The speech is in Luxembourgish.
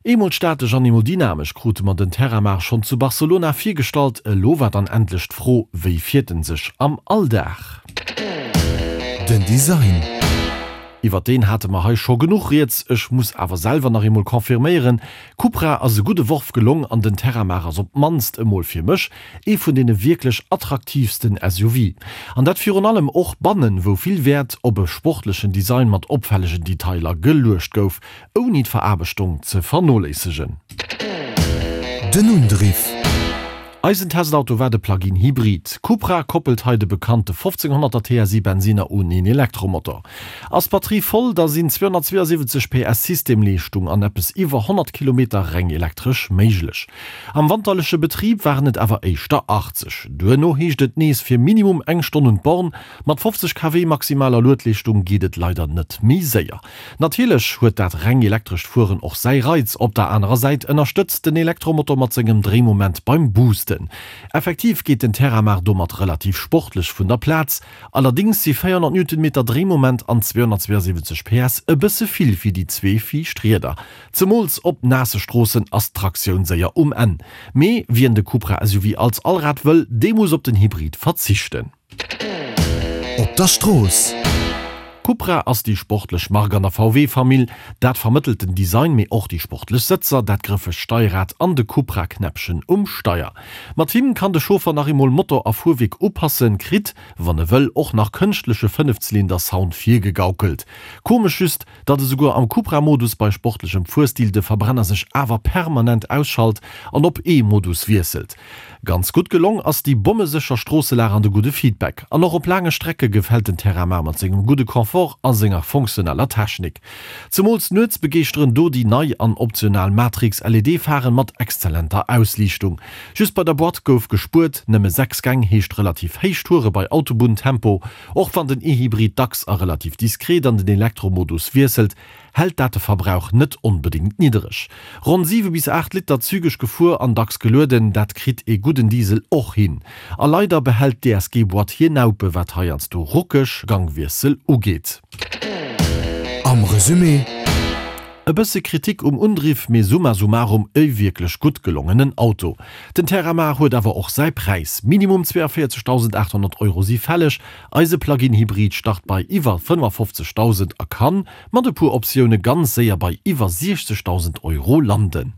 Eemol statesch an eemol dynamesch krute mer den Terramar schonn zu Barcelona virgestallt. Elo war dann endlech d'Fro, wéi fiert en sech am Alldag? Den Design. Iwwer deen hate mer hei scho genuch rieds, ech muss awer selwer nach eemol confirméieren, Cupra ass e gudde Worf gelong an den Terramar ass op d'mannst emol fir mech ee vun deene wierklech attraktiivsten SUV. An dat virun allem och bannen, wou vill Wäert op e sportlechen Design mat opfällegen Detailer geluecht gouf. Ouni d'Veraarbechtung ze vernoléissegen. Den Undriff. Eisen Testauto war de Plug-in Hybrid. Cupra koppelt hei de bekannte 1500er TSI Bensiner un een Elektromotor. Ass d'Batterie voll, da sinn 272 PS Systemleeschtung an eppes iwwer 100 Kilometer reng elektresch méiglech. Am wanterleche Betrib waren et awer éischter 80. Duerno heescht et nees fir minimum eng Stonn un d'Born. Mat 50 kW maximaler Luedleeschtung geet et leider net méi séier. Natierlech huet dat reng elektrescht Fueren och säi Reiz. Op der anerer Säit ënnerstëtzt den Elektromotor mat sengem Dréimoment beim Boosten. Effektiv geet den Terramar domat relativ sportlech vun der Plaz. Allerdéngs si 400 Newtonmeter Dréimoment an 272 PS e bësse vill fir déi zwee viischt Rieder. Zemools op naasse Stroossen ass d'Traktioun séier um Enn. Mee wien de Cupra SUV als Allrad wëll, dee muss op den Hybrid verzichten. Op der Strooss. Cupra ass déi sportlech Mark an der VW-Famill. Dat vermëttelt den Design, mee och déi sportlech Sëtzer, dat grëffegt Steierrad an de Cupra-Knäppchen um Steier. Mat him kann de Chauffer nach eemol Motor a Fuerwierk upassen, kritt, wann e wëll, och nach kënschtleche Fënnefzylinder-Sound virgegaukelt. Komesch just, datt esouguer am Cupra-Modus bei sportlechem Fuerstil de Verbrenner sech awer permanent ausschalt an op E-Modus wiesselt. Ganz gutt gelong ass déi bommesécher Stroosselag an de gudde Feedback. An och op laange Strecke gefält den Terramar mat sengem gudde Confort a senger funktioneller Technik. Zemools nuets begeeschteren do déi nei an optional Matrix LED-Pharen mat exzellenter Ausliichtung. Just bei der Boîte gouf gespuert, nëmme 6 Gäng heescht relativ héich Toure bei Autobunntempo. Och wann den E-Hybrid dacks a relativ diskret an den Elektromodus wiesselt, hält dat de Verbrauch net onbedéngt niddereg. Ronn 7 bis 8 Liter zügeg gefuer an dacks gelueden, dat kritt ee gudden Diesel och hin. A leider behält d'DSG-Boîte hir Naupe wat heiansdo ruckeg Gangwiessel ugeet. Am Resumé. E bësse Kritik um Undriff, mee summa summarum e wierklech gutt gelongenen Auto. Den Terramar huet awer och säi Präis, Minimum 42.800 Euro si fälleg. Eise Plug-in-Hybrid start bei iwwer 55.000 a kann, mat e puer Optioune, ganz séier bei iwwer 60.000 Euro landen.